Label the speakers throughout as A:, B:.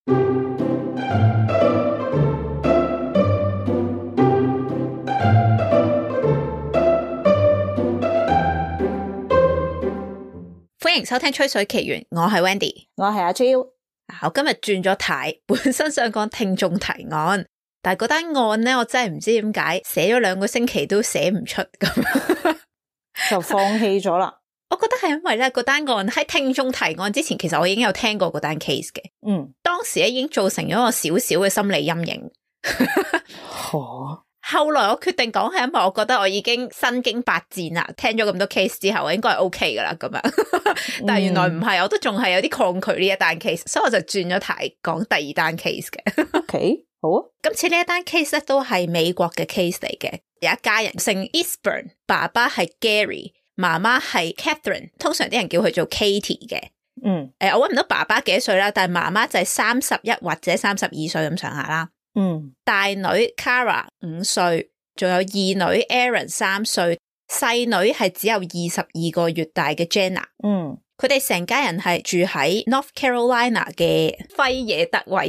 A: 歡迎收聽吹水奇緣，我係 Wendy，
B: 我係阿 Jill。
A: 我今日轉咗題，本身想講聽眾提案，但係嗰單案呢，我真係唔知點解寫咗2個星期都寫唔出咁，
B: 就放棄咗啦。
A: 我覺得係因為咧，嗰單案喺聽眾提案之前，其實我已經有聽過嗰單 case 嘅。當時咧已經造成咗我少少嘅心理陰影。後來我決定講係因為我覺得我已經身經百戰啦，聽咗咁多 case 之後，我應該係 OK 噶啦咁樣。但係原來唔係，我都仲係有啲抗拒呢一單 case，所以我就轉咗題講第二單 case 嘅。
B: OK， 好啊。
A: 今次呢一單 case 咧都係美國嘅 case 嚟嘅，有一家人姓 Eastburn， 爸爸係 Gary， 媽媽係 Catherine， 通常啲人叫佢做 Katie 嘅。我搵唔到爸爸幾多歲啦，但係媽媽就係31或者32歲咁上下啦。大女 Cara 5歲，仲有二女 Erin 3歲，細女係只有22個月大嘅 Jenna。佢哋成家人係住喺 North Carolina 嘅輝野特維爾。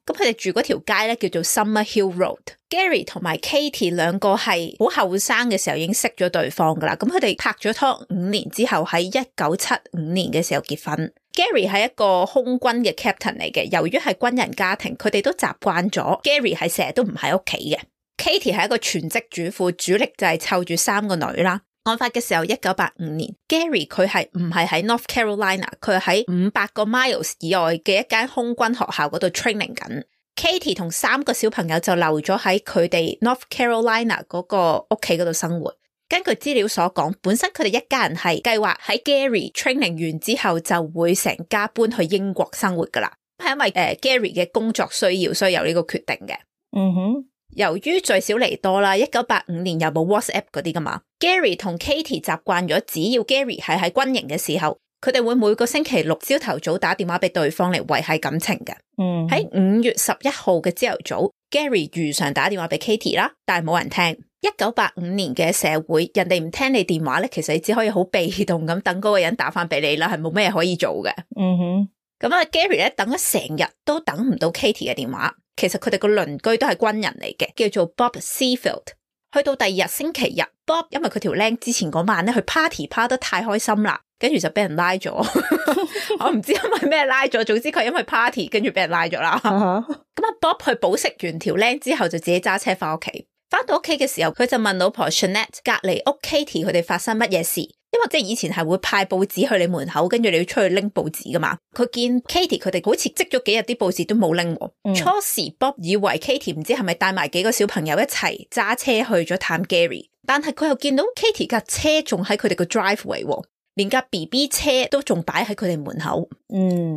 A: 咁佢哋住嗰條街咧叫做 Summer Hill Road。Gary 同埋 Katie 兩個係好後生嘅時候已經識咗對方噶啦。咁佢哋拍咗拖5年之後，喺1975年嘅時候結婚。Gary 係一個空軍嘅 captain 嚟嘅，由於係軍人家庭，佢哋都習慣咗 Gary 係成日都唔喺屋企嘅。Katie 係一個全職主婦，主力就係湊住3個女啦。案發嘅時候1985年 Gary 佢係唔係喺 North Carolina， 佢係喺500個 miles 以外嘅一間空軍學校嗰度 training 緊。Katie 同3個小朋友就留咗喺佢哋 North Carolina 嗰個屋企嗰度生活。根據資料所講，本身佢哋一家人係計劃喺 Gary training 完之後就會成家搬去英國生活噶啦，係因為Gary 嘅工作需要，所以有呢個決定嘅。由於聚少離多啦，1985年又冇 WhatsApp 嗰啲噶嘛， Gary 同 Katie 習慣咗，只要 Gary 係喺軍營嘅時候，佢哋會每個星期六朝頭早打電話俾對方嚟維繫感情嘅。喺5月11號嘅朝頭早， Gary 如常打電話俾 Katie 啦，但係冇人聽。1985年嘅社會，人哋唔聽你電話咧，其實你只可以好被動咁等嗰個人打翻俾你啦，係冇咩可以做嘅。咁啊 Gary 咧等咗成日都等唔到 Katie 嘅電話。其實佢哋個鄰居都係軍人嚟嘅，叫做 Bob Seafield。去到第二日星期日 ，Bob 因為佢條靚之前嗰晚咧去 party 趴得太開心啦，跟住就俾人拉咗。我唔知因為咩拉咗，總之佢因為 party 跟住俾人拉咗啦。咁啊 Bob 去保釋完條靚之後，就自己揸車翻屋企。翻到屋企嘅時候，佢就問老婆 Shanette 隔籬屋 Katie 佢哋發生乜嘢事，因為即係以前係會派報紙去你門口，跟住你要出去拎報紙噶嘛。佢見 Katie 佢哋好似積咗幾日啲報紙都冇拎。初時 Bob 以為 Katie 唔知係咪帶埋幾個小朋友一齊揸車去咗探 Gary， 但係佢又見到 Katie 架車仲喺佢哋個 driveway， 連架 BB 車都仲擺喺佢哋門口。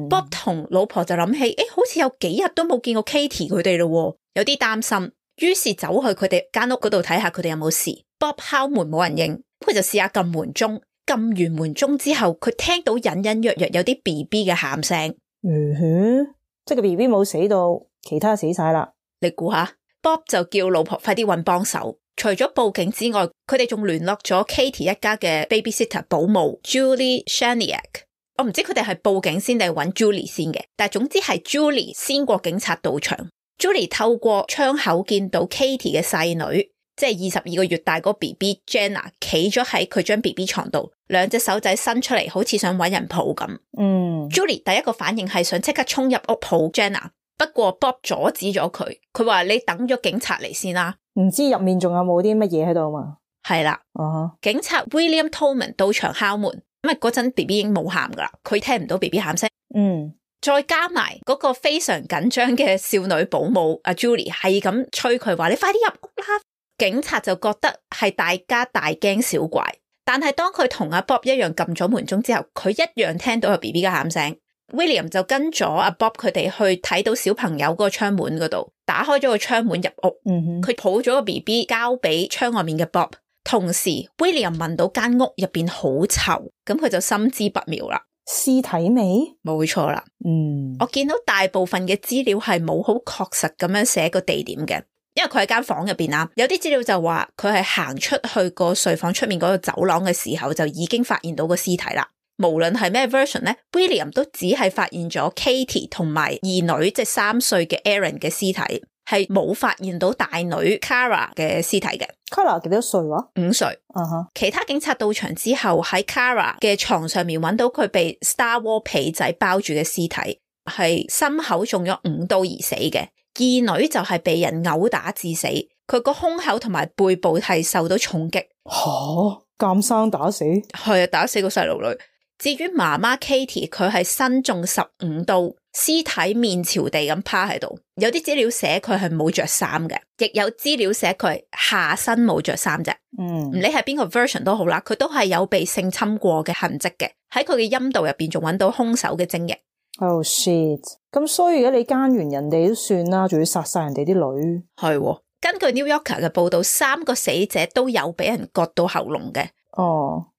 A: Bob 同老婆就諗起，好似有幾日都冇見過 Katie 佢哋咯，有啲擔心。於是走去佢哋間屋嗰度睇下佢哋有冇事。Bob 敲門冇人應，佢就試下撳門鐘。撳完門鐘之後，佢聽到隱隱約約有啲 BB 嘅喊聲。
B: 即係個 BB 冇死到，其他死晒啦。
A: 你估下 ？Bob 就叫老婆快啲搵幫手。除咗報警之外，佢哋仲聯絡咗 Katie 一家嘅 babysitter 保姆 Julie Shaniak。我唔知佢哋係報警先定係搵 Julie 先嘅，但係總之係 Julie 先過警察到場。Julie 透過窗口見到 Katie 嘅細女，即係22個月大嗰個 BB Jenna 企咗喺佢張 BB 床度，2隻手仔伸出嚟，好似想搵人抱咁。Julie 第一個反應係想即刻衝入屋抱 Jenna， 不過 Bob 阻止咗佢，佢話你等咗警察嚟先啦。
B: 唔知入面仲有冇啲乜嘢喺度嘛？
A: 係啦，警察 William Tolman 到場敲門，因為嗰陣 BB 已經冇喊噶啦，佢聽唔到 BB 喊聲。再加埋嗰個非常緊張嘅少女保姆阿 Julie 係咁催佢話你快啲入屋啦。警察就覺得係大家大驚小怪，但係當佢同阿 Bob 一樣撳咗門鐘之後，佢一樣聽到有 BB 嘅喊聲。William 就跟咗阿 Bob 佢哋去睇到小朋友嗰個窗門嗰度，打開咗個窗門入屋。佢抱咗個 BB 交俾窗外面嘅 Bob， 同時 William 聞到間屋入邊好臭，咁佢就心知不妙啦。
B: 屍體味？
A: 冇錯啦。我見到大部分嘅資料係冇好確實咁樣寫個地點嘅，因為佢喺間房入邊啦。有啲資料就話佢係行出去個睡房出面嗰個走廊嘅時候就已經發現到個屍體啦。無論係咩 version 咧 ，William 都只係發現咗 Katie 同埋二女即係3歲嘅 Aaron 嘅屍體，係冇發現到大女 Kara 嘅屍體嘅。
B: Kara 幾多歲話？5
A: 歲。其他警察到場之後，喺 Kara 嘅床上面揾到佢被 Star Wars 被仔包住嘅屍體，係心口中咗5刀而死嘅。二女就係被人毆打致死，佢個胸口同埋背部係受到重擊。
B: 監生打死？
A: 係啊，打死個細路女。至於媽媽 Katie， 佢係身中15刀，屍體面朝地咁趴喺度。有啲資料寫佢係冇着衫嘅，亦有資料寫佢係下身冇着衫啫。唔理係邊個 version 都好啦，佢都係有被性侵過嘅痕跡嘅。喺佢嘅陰道入邊仲揾到兇手嘅精液。
B: Oh shit！ 咁所以而家你奸完人哋都算啦，仲要殺晒人哋啲女。
A: 係喎，根據 New Yorker 嘅報道，3個死者都有俾人割到喉嚨嘅。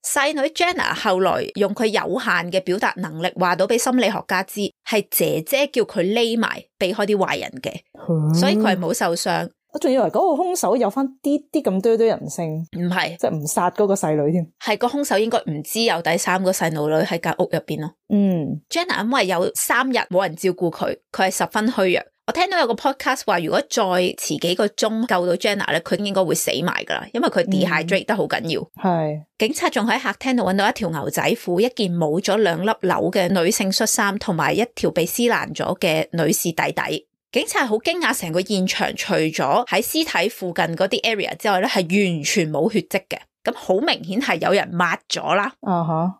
A: 細女 Jenna 後來用佢有限嘅表達能力話到俾心理學家知，係姐姐叫佢匿埋避開啲壞人嘅，所以佢係冇受傷。
B: 我仲以為嗰個兇手有翻啲咁多人性，
A: 唔係，
B: 即係唔殺嗰個細女添。
A: 係個兇手應該唔知有第3個細路女喺間屋入邊咯。Jenna 因為有3日冇人照顧佢，佢係十分虛弱。我聽到有個 podcast 話，如果再遲幾個鐘救到 Jenna 咧，佢應該會死埋噶啦，因為佢 dehydrate 得好緊要。警察仲喺客廳度揾到一條牛仔褲、一件冇咗2粒紐嘅女性恤衫，同埋一條被撕爛咗嘅女士底底。警察好驚訝，成個現場除咗喺屍體附近嗰啲 area 之外咧，係完全冇血跡嘅。咁好明顯係有人抹咗啦。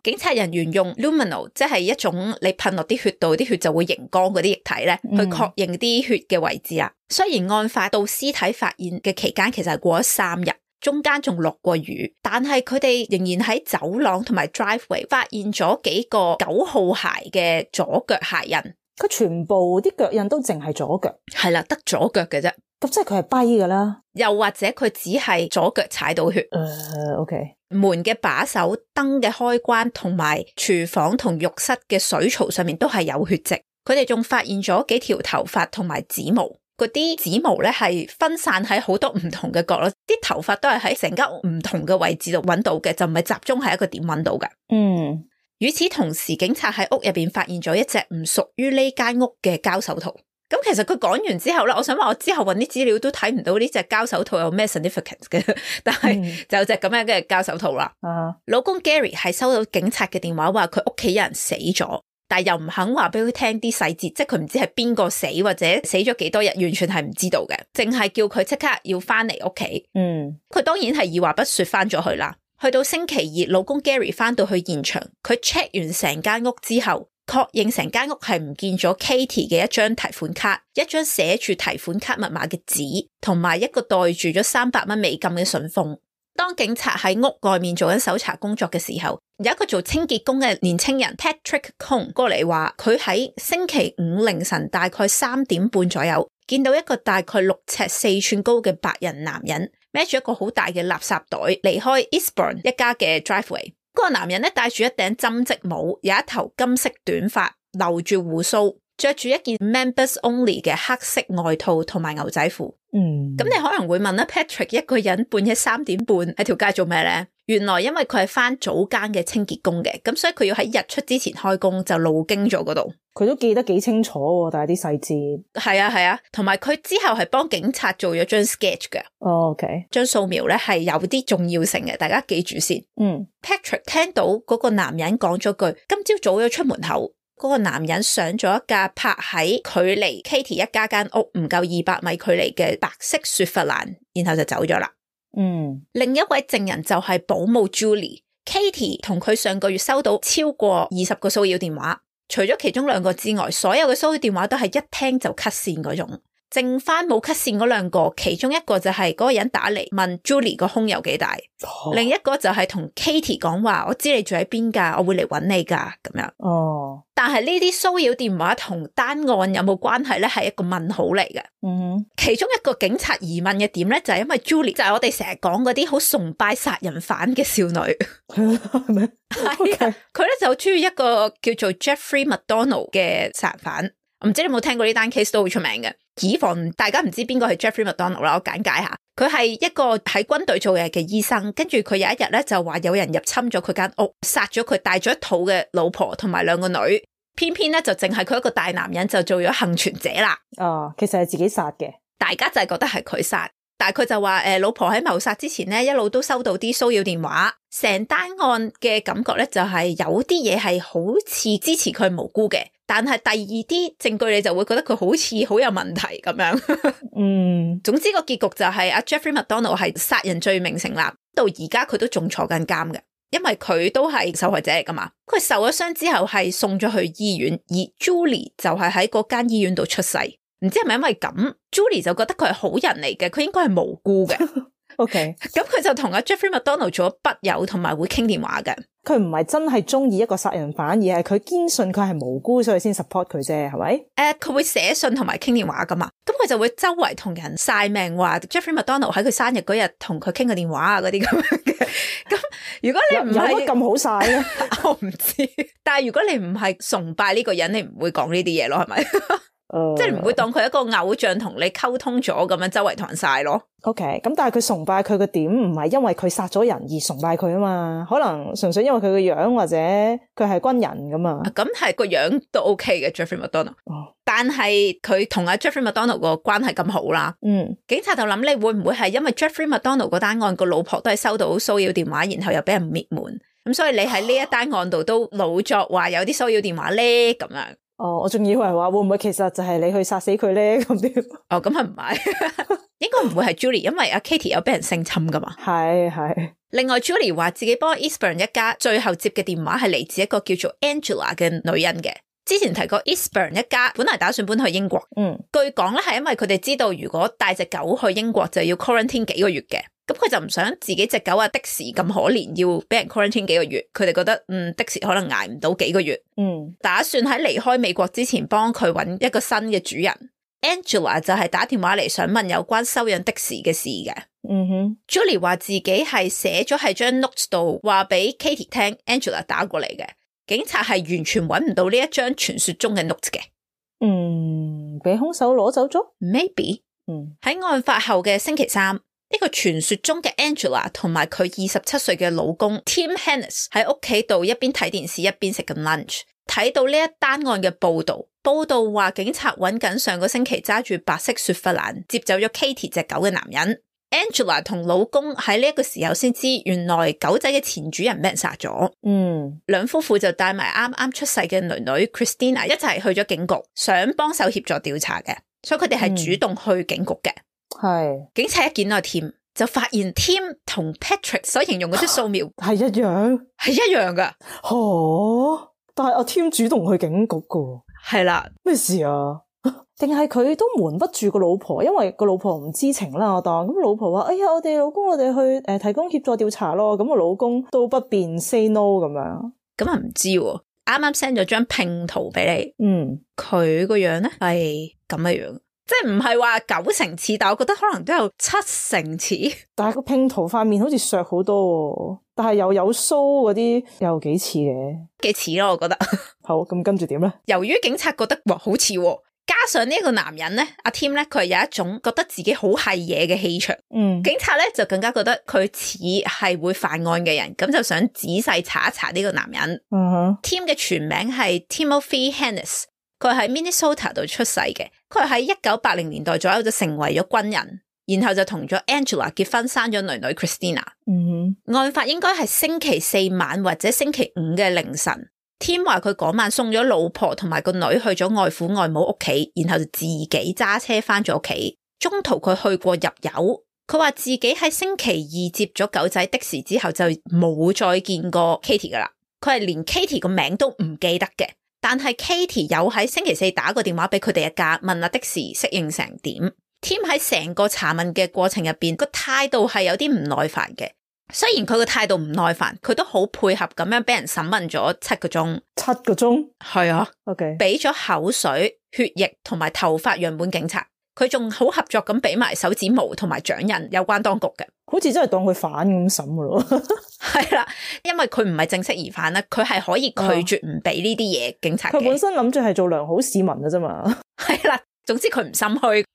A: 警察人員用 luminol， 即係一種你噴落啲血度，啲血就會熒光嗰啲液體咧，去確認啲血嘅位置啊。雖然案發到屍體發現嘅期間其實係過咗3日，中間仲落過雨，但係佢哋仍然喺走廊同埋 driveway 發現咗幾個9號鞋嘅左腳鞋印。
B: 佢全部啲腳印都淨係左腳？係
A: 啦，得左腳嘅啫。
B: 咁即係佢係跛噶啦，
A: 又或者佢只係左腳踩到血。
B: OK。
A: 門嘅把手、燈嘅開關同埋廚房同浴室嘅水槽上面都係有血跡。佢哋仲發現咗幾條頭髮同埋指毛，嗰啲指毛咧係分散喺好多唔同嘅角落，啲頭髮都係喺成間屋唔同嘅位置度揾到嘅，就唔係集中喺一個點揾到嘅。與此同時，警察喺屋入邊發現咗一隻唔屬於呢間屋嘅膠手套。咁其實佢講完之後咧，我想話我之後搵啲資料都睇唔到呢隻膠手套有咩 significance 嘅，但係就有隻咁樣嘅膠手套啦。老公 Gary 係收到警察嘅電話，話佢屋企有人死咗，但係又唔肯話俾佢聽啲細節，即係佢唔知係邊個死或者死咗幾多日，完全係唔知道嘅，淨係叫佢即刻要翻嚟屋企。佢當然係二話不說翻咗去啦。去到星期二，老公 Gary 翻到去現場，佢 check 完成間屋之後，確認成間屋係唔見咗 Katie 嘅一張提款卡，一張寫住提款卡密碼嘅紙，同埋一個袋住咗300蚊美金嘅信封。當警察喺屋外面做緊搜查工作嘅時候，有一個做清潔工嘅年青人 Patrick Cohn 過嚟話，佢喺星期5凌晨大概3點半左右，見到一個大概6尺4寸高嘅白人男人孭住一個好大嘅垃圾袋離開 Eastburn 一家嘅 driveway。嗰個男人咧戴住一頂針織帽，有一頭金色短髮，留住鬍鬚，着住一件 members only 嘅黑色外套同埋牛仔褲。咁你可能會問啦， Patrick 一個人半夜3點半喺條街做咩咧？原來因為佢係返早更嘅清潔工嘅，咁所以佢要喺日出之前開工，就路經咗嗰度。佢都記得幾清楚喎，但係啲細節。係啊，同埋佢之後係幫警察做咗張 sketch 嘅。OK， 張素描咧係有啲重要性嘅，大家記住先。Patrick 聽到嗰個男人講咗句，今朝早咗出門口。嗰個男人上咗一架泊喺距離 Katie 一家間屋唔夠200米距離嘅白色雪佛蘭，然後就走咗啦。另一位證人就係保姆 Julie。Katie 同佢上個月收到超過20個騷擾電話，除咗其中2個之外，所有嘅騷擾電話都係一聽就 cut 線嗰種。剩翻冇 cut 線嗰2個，其中一個就係嗰個人打嚟問 Julie 個胸有幾大，另一個就係同 Katie 講話，我知你住喺邊噶，我會嚟揾你噶咁樣。但係呢啲騷擾電話同單案有冇關係咧？係一個問號嚟嘅。其中一個警察疑問嘅點咧，就係因為 Julie 就係我哋成日講嗰啲好崇拜殺人犯嘅少女，係咪？係啊，佢咧就中意一個叫做 Jeffrey McDonald 嘅殺人犯。唔知你有冇聽過呢單 case 都好出名嘅。以防大家唔知邊個係 Jeffrey McDonald 啦，我簡介下。佢係一個喺軍隊做嘢嘅醫生，跟住佢有一日咧就話有人入侵咗佢間屋，殺咗佢帶咗一肚嘅老婆同埋2個女，偏偏咧就淨係佢一個大男人就做咗幸存者啦。
B: 其實係自己殺嘅，大
A: 家就係覺得係佢殺。但係佢就話老婆喺謀殺之前咧，一路都收到啲騷擾電話，成單案嘅感覺咧就係有啲嘢係好似支持佢無辜嘅，但係第二啲證據你就會覺得佢好似好有問題咁樣。總之個結局就係阿 Jeffrey McDonald 係殺人罪名成立，到而家佢都仲坐緊監嘅，因為佢都係受害者嚟噶嘛。佢受咗傷之後係送咗去醫院，而 Julie 就係喺嗰間醫院度出世。唔知係咪因為咁 Julie 就覺得佢係好人嚟嘅，佢應該係無辜嘅。
B: OK，
A: 咁佢就同阿 Jeffrey McDonald 做咗筆友，同埋會傾電話嘅。
B: 佢唔係真係中意一個殺人犯，而係佢堅信佢係無辜，所以先 support 佢啫，係咪？
A: 佢會寫信同埋傾電話噶嘛，咁佢就會周圍同人晒命話 Jeffrey McDonald 喺佢生日嗰日同佢傾個電話啊，嗰啲咁樣嘅。咁如果你唔係
B: 有乜咁好晒咧？
A: 我唔知，但係如果你唔係崇拜呢個人，你唔會講呢啲嘢咯，係咪？即係唔會當佢一個偶像同你溝通咗咁樣周圍同人晒咯。
B: OK， 咁但係佢崇拜佢個點唔係因為佢殺咗人而崇拜佢啊嘛，可能純粹因為佢個樣或者佢係軍人咁啊。
A: 咁係個樣都 OK 嘅 Jeffrey McDonald，但係佢同阿 Jeffrey McDonald 個關係咁好啦。警察就諗你會唔會係因為 Jeffrey McDonald 嗰單案個老婆都係收到騷擾電話，然後又俾人滅門，咁所以你喺呢一單案度都老作話有啲騷擾電話咧咁樣。
B: 我仲以為話會唔會其實就係你去殺死佢咧咁啲？
A: 咁係唔係？應該唔會係 Julie， 因為阿 Katie 有俾人性侵噶嘛。
B: 係。
A: 另外 Julie 話自己幫 Eastburn 一家最後接嘅電話係嚟自一個叫做 Angela 嘅女人嘅。之前提過 Eastburn 一家本來打算搬去英國，據講咧係因為佢哋知道如果帶隻狗去英國就要 quarantine 幾個月嘅。咁佢就唔想自己隻狗啊的士咁可憐要俾人 quarantine 幾個月，佢哋覺得的士可能捱唔到幾個月，打算喺離開美國之前幫佢揾一個新嘅主人。Angela 就係打電話嚟想問有關收養的士嘅事嘅。Julie 話自己係寫咗喺張 notes 度話俾 Katie 聽 Angela 打過嚟嘅，警察係完全揾唔到呢一張傳說中嘅 notes 嘅。
B: 俾兇手攞走咗
A: ？Maybe。喺案發後嘅星期三，呢個傳說中嘅 Angela 同埋佢27歲嘅老公 Tim Hennis 喺屋企度一邊睇電視一邊食緊 lunch， 睇到呢一單案嘅報道話警察揾緊上個星期揸住白色雪佛蘭接走咗 Katie 隻狗嘅男人。Angela 同老公喺呢一個時候先知原來狗仔嘅前主人俾人殺咗。兩夫婦就帶埋啱啱出世嘅女女 Christina 一齊去咗警局，想幫手協助調查嘅，所以佢哋係主動去警局嘅。警察一見到 Tim 就發現 Tim 同 Patrick 所形容嗰啲素描
B: 係一樣噶。但係阿 Tim 主動去警局噶。
A: 係啦，
B: 咩事啊？定係佢都瞞不住個老婆，因為個老婆唔知情啦。我當咁老婆話：哎呀，我哋老公我哋去提供協助調查咯。咁個老公都不便 say no 咁樣。咁
A: 啊唔知喎，啱啱 send 咗張拼圖俾你。佢個樣咧係咁嘅樣，即係唔係話90%似，但我覺得可能都有70%似。但係個拼圖塊面好似削好多，但係又有鬚嗰啲，又幾似嘅，幾似咯，我覺得。好，咁跟住點咧？由於警察覺得哇好似，加上呢個男人咧，阿 Tim 咧，佢係有一種覺得自己好係嘢嘅氣場。警察咧就更加覺得佢似係會犯案嘅人，咁就想仔細查一查呢個男人。Tim 嘅全名係 Timothy Hennis， 佢喺 Minnesota 度出世嘅。佢喺1980年代左右就成為咗軍人，然後就同咗 Angela 結婚，生咗女女 Christina。案發應該係星期4晚或者星期5嘅凌晨。Tim 話佢嗰晚送咗老婆同埋個女去咗外父外母屋企，然後就自己揸車翻咗屋企。中途佢去過入油。佢話自己喺星期2接咗狗仔的士之後就冇再見過 Katie 噶啦。佢係連 Katie 個名都唔記得嘅，但係 Katie 有喺星期4打個電話俾佢哋一家，問下的士適應成點。Tim 喺成個查問嘅過程入邊個態度係有啲唔耐煩嘅。雖然佢個態度唔耐煩，佢都好配合咁樣俾人審問咗7個鐘。7個鐘？係啊。OK。俾咗口水、血液同埋頭髮樣本警察，佢仲好合作咁俾埋手指毛同埋掌印有關當局嘅。好似真係當佢犯咁審噶咯。係啦，因為佢唔係正式疑犯啦，佢係可以拒絕唔俾呢啲嘢警察嘅。佢本身諗住係做良好市民嘅啫嘛。係啦，總之佢唔心虛。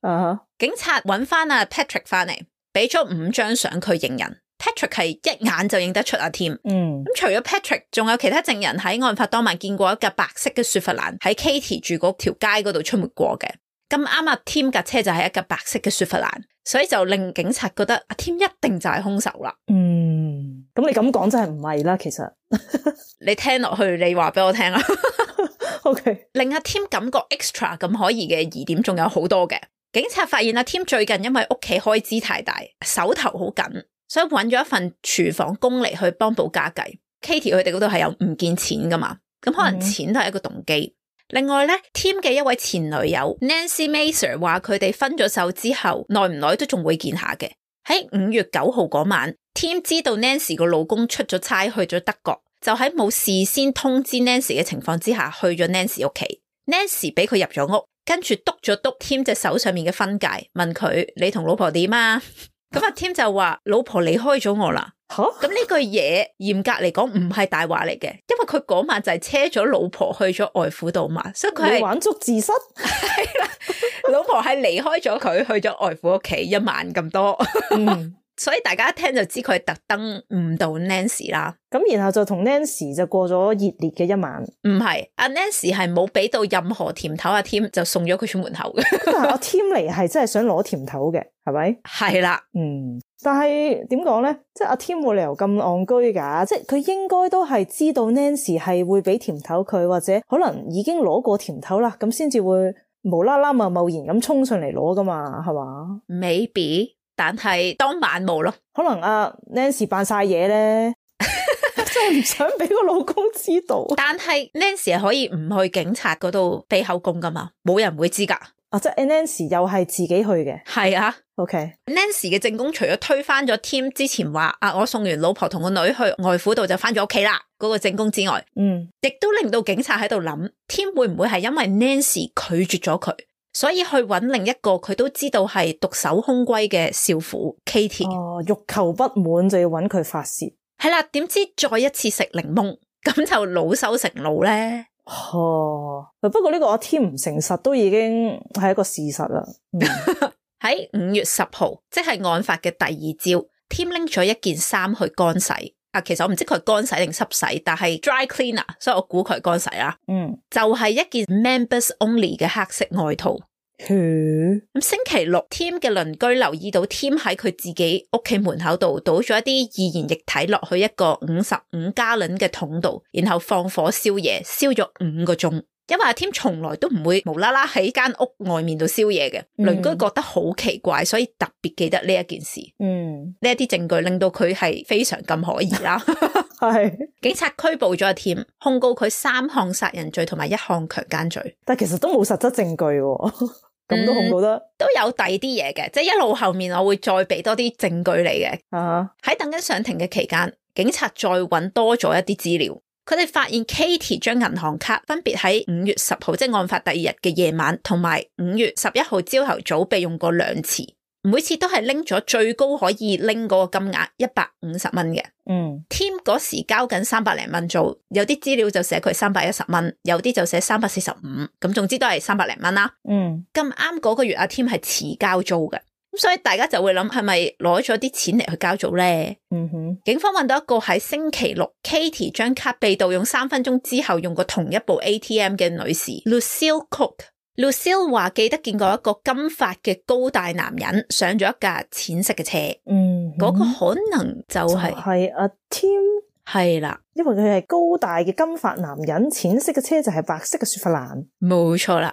A: 警察揾翻阿 Patrick 翻嚟。俾咗5張相佢認人。Patrick 係一眼就認得出阿 Tim。咁除咗 Patrick， 仲有其他證人喺案發當晚見過一架白色嘅雪佛蘭喺 Katie 住嗰條街嗰度出沒過嘅。咁啱阿 Tim 架車就係一架白色嘅雪佛蘭，所以就令警察覺得阿 Tim 一定就係兇手啦。
B: 咁你咁講真係唔係啦，其實
A: 你聽落去，你話俾我聽啦。
B: OK，
A: 令阿 Tim 感覺 extra 咁可疑嘅疑點仲有好多嘅。警察發現阿 Tim 最近因為屋企開支太大，手頭好緊，所以揾咗一份廚房工嚟去幫補家計。Katie 佢哋嗰度係有唔見錢噶嘛，咁可能錢都係一個動機。另外咧 ，Tim 嘅一位前女友 Nancy Maser 話佢哋分咗手之後，耐唔耐都仲會見下嘅。喺5月9號嗰晚 ，Tim 知道 Nancy 個老公出咗差去咗德國，就喺冇事先通知 Nancy 嘅情況之下，去咗 Nancy 屋企。Nancy 俾佢入咗屋，跟住督咗督 Tim 隻手上面嘅婚戒，問佢：你同老婆點啊？咁阿 Tim 就話：老婆離開咗我啦。咁呢句嘢嚴格嚟講唔係大話嚟嘅，因為佢嗰晚就係車咗老婆去咗外父度嘛，所以佢係
B: 玩足自失。
A: 係啦，老婆係離開咗佢去咗外父屋企1晚咁多。所以大家一聽就知佢係特登誤導 Nancy 啦。
B: 咁然後就同 Nancy 就過咗熱烈嘅1晚。
A: 唔係，阿 Nancy 係冇俾到任何甜頭，阿 Tim 就送咗佢出門口嘅。
B: 但係阿 Tim 嚟係真係想攞甜頭嘅，係咪？
A: 係啦，
B: 但係點講咧？即係阿 Tim 冇理由咁戇居噶，即係佢應該都係知道 Nancy 係會俾甜頭佢，或者可能已經攞過甜頭啦，咁先至會無啦啦貿然咁衝上嚟攞噶嘛，係嘛
A: ？Maybe。但係當晚冇咯，
B: 可能阿 Nancy 扮晒嘢咧，真係唔想俾個老公知道。
A: 但係 Nancy 係可以唔去警察嗰度俾口供噶嘛，冇人會知噶。
B: 即係 Nancy 又係自己去嘅。
A: 係啊
B: ，OK。Nancy
A: 嘅證供除咗推翻咗 Tim 之前話我送完老婆同個女去外父度就翻咗屋企啦嗰個證供之外，亦都令到警察喺度諗 Tim 會唔會係因為 Nancy 拒絕咗佢，所以去揾另一個佢都知道係獨守空閨嘅少婦 Katie。
B: 欲求不滿就要揾佢發洩。
A: 係啦，點知再一次食檸檬，咁就惱羞成怒咧。
B: 不過呢個阿 Tim 唔誠實都已經係一個事實啦。
A: 喺5月10號，即係案發嘅第2朝 ，Tim 拎咗一件衫去乾洗。其實我唔知佢係乾洗定濕洗，但係 dry cleaner， 所以我估佢係乾洗啦。就係一件 members only 嘅黑色外套。咁星期六 ，Tim 嘅鄰居留意到 Tim 喺佢自己屋企門口度倒咗一啲易燃液體落去一個55加侖嘅桶度，然後放火燒嘢，燒咗5個鐘。因為阿 Tim 從來都唔會無啦啦喺間屋外面度燒嘢嘅，鄰居覺得好奇怪，所以特別記得呢一件事。呢一啲證據令到佢係非常咁可疑啦。
B: 係
A: 警察拘捕咗阿 Tim， 控告佢3項殺人罪同埋1項強姦罪。
B: 但其實都冇實質證據喎。咁都控告得，
A: 都有第二啲嘢嘅，即係一路後面我會再俾多啲證據你嘅。喺等緊上庭嘅期間，警察再揾多咗一啲資料，佢哋發現 Katie 將銀行卡分別喺5月10號，即係案發第2日嘅夜晚，同埋5月11號朝頭早被用過2次，每次都係拎咗最高可以拎嗰個金額150蚊嘅。Tim 嗰時交緊300零蚊租，有啲資料就寫佢310蚊，有啲就寫345，咁總之都係300零蚊啦。咁啱嗰個月阿 Tim 係遲交租嘅，咁所以大家就會諗係咪攞咗啲錢嚟去交租咧？警方揾到一個喺星期六 Katie 將卡被盜用3分鐘之後用過同一部 ATM 嘅女士 Lucille Cook。Lucille 話記得見過一個金髮嘅高大男人上咗一架淺色嘅車，嗰個可能就係
B: 阿 Tim。
A: 係啦，
B: 因為佢係高大嘅金髮男人，淺色嘅車就係白色嘅雪佛蘭。
A: 冇錯啦。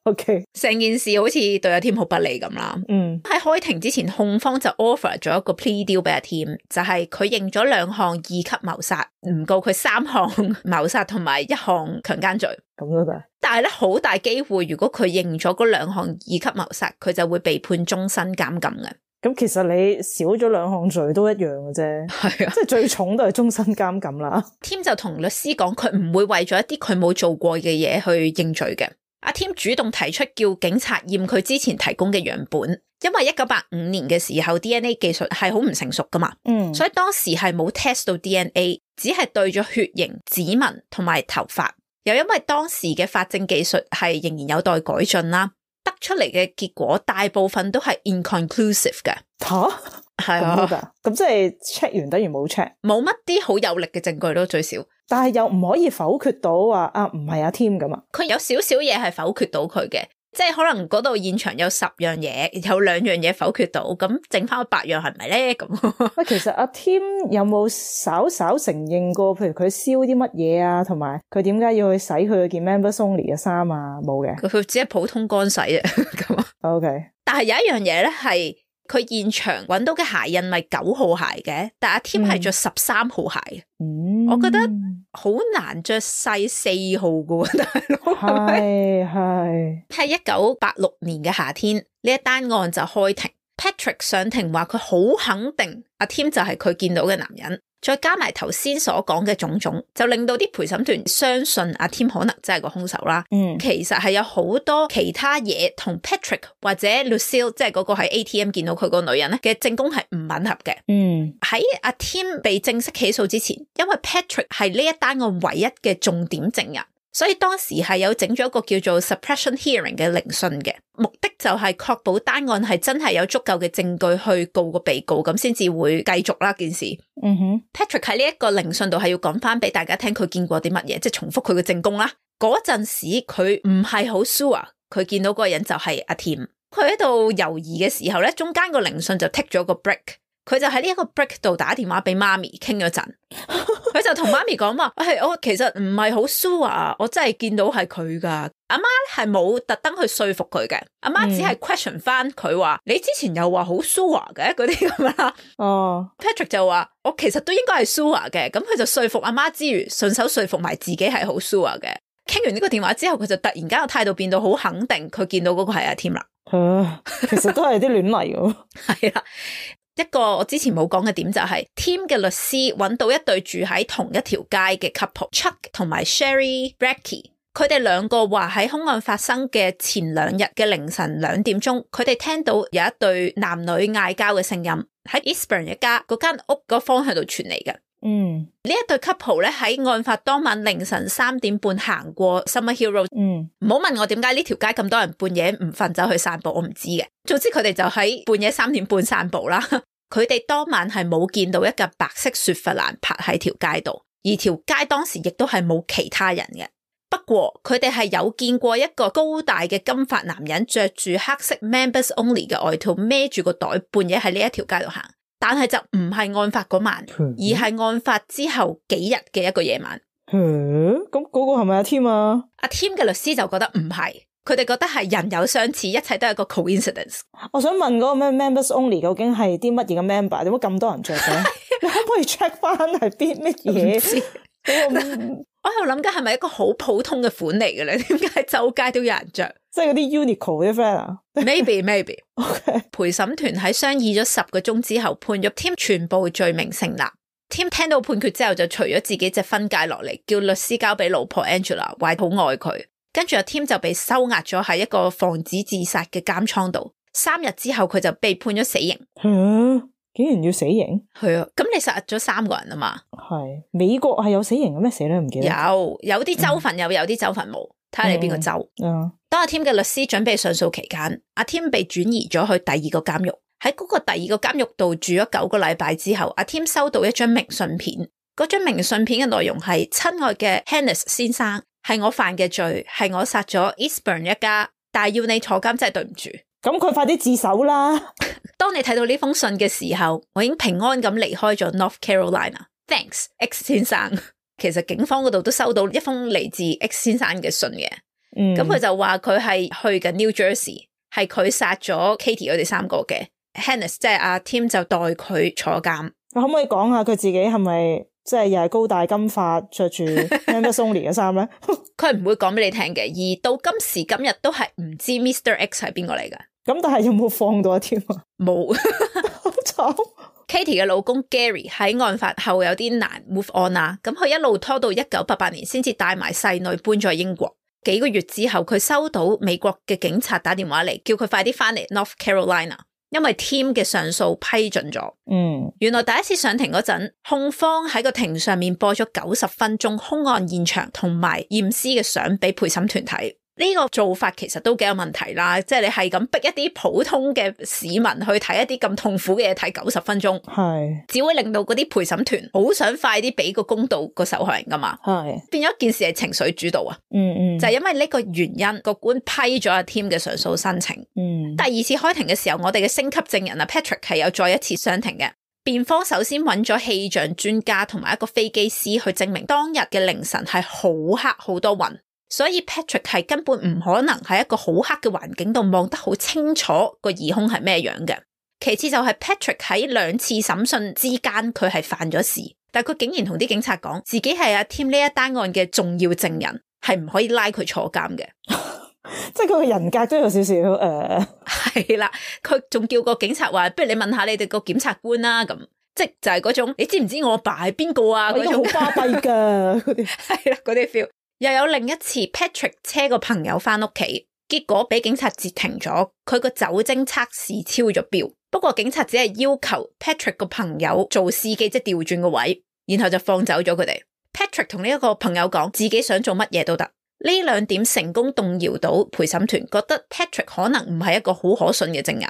B: OK，
A: 成件事好似對阿 Tim 好不利咁啦。喺開庭之前，控方就 offer 咗一個 plea deal 俾阿 Tim， 就係佢認咗2項2級謀殺，唔告佢3項謀殺同埋1項強姦罪。
B: 咁都得，但
A: 係咧好大機會，如果佢認咗嗰2項2級謀殺，佢就會被判終身監禁嘅。
B: 咁其實你少咗2項罪都一樣嘅啫，係啊，即係最重都係終身監禁啦。
A: Tim 就同律師講，佢唔會為咗一啲佢冇做過嘅嘢去認罪嘅。阿 Tim 主動提出叫警察驗佢之前提供嘅樣本，因為1985年嘅時候 DNA 技術係好唔成熟噶嘛，所以當時係冇 test 到 DNA， 只係對咗血型、指紋同埋頭髮。又因為當時嘅法證技術係仍然有待改進啦。得出嚟嘅結果大部分都係 inconclusive 嘅。係啊，
B: 咁即係 check 完等於冇 check，
A: 冇乜啲好有力嘅證據咯，最少。
B: 但係又唔可以否決到話唔係阿 Tim 咁啊？
A: 佢有少少嘢係否決到佢嘅，即係可能嗰度現場有10樣嘢，有2樣嘢否決到，咁剩翻8樣係咪咧？咁
B: 喂，其實阿 Tim 有冇稍稍承認過，譬如佢燒啲乜嘢啊，同埋佢點解要去洗佢件 Members Only 嘅衫啊？冇嘅，
A: 佢只係普通乾洗啫。咁
B: OK，
A: 但係有一樣嘢咧係。佢現場揾到嘅鞋印咪9號鞋嘅，但阿 Tim 係着13號鞋。我覺得好難着細4號噶喎，大佬。係1986年嘅夏天，呢一單案就開庭。Patrick 上庭話佢好肯定阿 Tim 就係佢見到嘅男人，再加埋頭先所講嘅種種，就令到啲陪審團相信阿 Tim 可能真係個兇手啦。其實係有好多其他嘢同 Patrick 或者 Lucille 即係嗰個喺 ATM 見到佢個女人咧嘅證供係唔吻合嘅。喺阿 Tim 被正式起訴之前，因為 Patrick 係呢一單案唯一嘅重點證人，所以當時係有整咗一個叫做 suppression hearing 嘅聆訊嘅，目的就係確保單案係真係有足夠嘅證據去告個被告，咁先至會繼續啦件事。Patrick 喺呢一個聆訊度係要講翻俾大家聽佢見過啲乜嘢，即係重複佢嘅證供啦。嗰陣時佢唔係好 sure 佢見到嗰個人就係阿 Tim， 佢喺度猶豫嘅時候咧，中間個聆訊就 take 咗個 break。佢就喺呢一個 break 度打電話俾媽咪傾咗陣，佢就同媽咪講話，我其實唔係好 sure， 我真係見到係佢噶。阿媽係冇特登去說服佢嘅，阿媽只係 question 翻佢話，你之前又話好 sure 嘅嗰啲咁啦。Patrick 就話我其實都應該係 sure 嘅，咁佢就說服阿媽之餘，順手說服埋自己係好 sure 嘅。傾完呢個電話之後，佢就突然間個態度變到好肯定，佢見到嗰個係阿 Tim 啦。
B: 其實都係啲亂嚟嘅。
A: 係啦。一個我之前冇講嘅點就係 Tim 嘅律師揾到一對住喺同一條街嘅 couple Chuck 同埋 Sherry Brackey， 佢哋兩個話喺兇案發生嘅前2日嘅凌晨2點鐘，佢哋聽到有一對男女嗌交嘅聲音喺 Eastburn 一家嗰間屋個方向度傳嚟嘅。呢一對 couple 咧喺案發當晚凌晨3點半行過 Summer Hill Road。唔好問我點解呢條街咁多人半夜唔瞓走去散步，我唔知嘅。總之佢哋就喺半夜3點半散步啦。佢哋當晚係冇見到一架白色雪佛蘭泊喺條街度，而條街當時亦都係冇其他人嘅。不過佢哋係有見過一個高大嘅金髮男人着住黑色 Members Only 嘅外套，孭住個袋，半夜喺呢一條街度行。但係就唔係案發嗰晚，而係案發之後幾日嘅一個夜晚。
B: 咁嗰個係咪阿 Tim 啊？
A: 阿 Tim 嘅律師就覺得唔係。佢哋覺得係人有相似，一切都係一個 coincidence。
B: 我想問嗰個咩 Members Only 究竟係啲乜嘢嘅 member？點解咁多人着嘅？你可唔可以 check 翻係邊乜嘢？
A: 我喺度諗緊係咪一個好普通嘅款嚟嘅咧？點解周街都有人着？
B: 即係嗰啲 Uniqlo 啲 friend 啊
A: ？Maybe。陪審團喺商議咗10個鐘之後，判咗 Tim 全部罪名成立。Tim 聽到判決之後，就除咗自己隻婚戒落嚟，叫律師交俾老婆 Angela， 話好愛佢。跟住阿 Tim 就被收押咗喺一個防止自殺嘅監倉度。3日之後佢就被判咗死刑。
B: 竟然要死刑？係
A: 啊，咁你殺咗3個人啊嘛？
B: 係美國係有死刑嘅咩？死咧唔記得。
A: 有啲州份有啲州份冇，睇下你邊個州。當阿 Tim 嘅律師準備上訴期間，阿 Tim 被轉移咗去第2個監獄。喺嗰個第2個監獄度住咗9個禮拜之後，阿 Tim 收到一張明信片。嗰張明信片嘅內容係：親愛嘅 Hennis 先生，係我犯嘅罪，係我殺咗 Eastburn 一家，但係要你坐監真係對唔住。
B: 咁佢快啲自首啦！
A: 當你睇到呢封信嘅時候，我已經平安咁離開咗 North Carolina。Thanks X 先生。其實警方嗰度都收到一封嚟自 X 先生嘅信嘅。咁佢就話佢係去緊 New Jersey， 係佢殺咗 Katie 佢哋3個嘅。Hennis 即係阿 Tim 就代佢坐監。
B: 可唔可以講下佢自己係咪即係又係高大金髮着住 Members Only 嘅衫咧？
A: 佢唔會講俾你聽嘅，而到今時今日都係唔知 Mr. X 係邊個嚟噶。
B: 咁但係有冇放到阿 Tim 啊？
A: 冇。
B: 好慘。
A: Katie 嘅老公 Gary 喺案發後有啲難 move on 啦，咁佢一路拖到1988年先至帶埋細女搬咗英國。幾個月之後，佢收到美國嘅警察打電話嚟，叫佢快啲翻嚟 North Carolina。因為 Tim 嘅上訴批准咗。原來第一次上庭嗰陣，控方喺個庭上面播咗90分鐘兇案現場同埋驗屍嘅相俾陪審團睇。呢個做法其實都幾有問題啦，即係你係咁逼一啲普通嘅市民去睇一啲咁痛苦嘅嘢睇90分鐘，
B: 係
A: 只會令到嗰啲陪審團好想快啲俾個公道個受害人噶嘛，係變咗件事係情緒主導啊，就係因為呢個原因個官批咗阿 Tim 嘅上訴申請，第二次開庭嘅時候，我哋嘅星級證人啊 Patrick 係有再一次上庭嘅，辯方首先揾咗氣象專家同埋一個飛機師去證明當日嘅凌晨係好黑好多雲。所以 Patrick 係根本唔可能喺一個好黑嘅環境度望得好清楚個疑兇係咩樣嘅。其次就係 Patrick 喺2次審訊之間佢係犯咗事，但佢竟然同啲警察講自己係阿 Tim 呢一單案嘅重要證人，係唔可以拉佢坐監嘅。
B: 即係佢嘅人格都有少少
A: 係啦，佢仲叫個警察話不如你問下你哋個檢察官啦，咁即係就係嗰種你知唔知我阿爸係邊個啊，嗰種
B: 好巴閉噶嗰啲
A: 係啦，嗰啲 feel。又有另一次 Patrick 車個朋友翻屋企，結果俾警察截停咗，佢個酒精測試超咗標，不過警察只係要求 Patrick 個朋友做司機，即係調轉個位，然後就放走咗佢哋。Patrick 同呢一個朋友講自己想做乜嘢都得，呢2點成功動搖到陪審團，覺得 Patrick 可能唔係一個好可信嘅證人。